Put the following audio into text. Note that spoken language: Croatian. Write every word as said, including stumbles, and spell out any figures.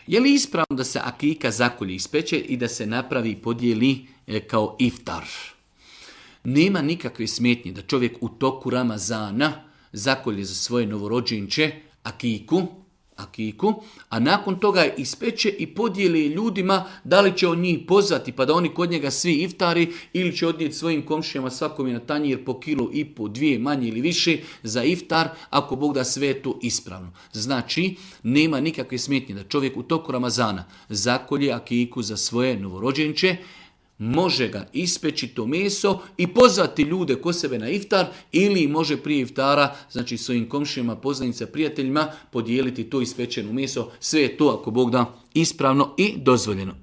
Je li ispravno da se akika zakolje ispeče i da se napravi i podijeli kao iftar? Nema nikakve smetnje da čovjek u toku Ramazana zakolje za svoje novorođenče akiku, akiku, a nakon toga ispeče i podijeli ljudima da li će on njih pozvati pa da oni kod njega svi iftari ili će odnijeti svojim komšijama svakom je na tanjir po kilu i po dvije manje ili više za iftar, ako Bog da sve je to ispravno. Znači, nema nikakve smetnje da čovjek u toku Ramazana zakolje akiku za svoje novorođenče, može ga ispeći to meso i pozvati ljude ko sebe na iftar ili može prije iftara, znači svojim komšijama, poznanicama, prijateljima podijeliti to ispečeno meso. Sve je to, ako Bog da, ispravno i dozvoljeno.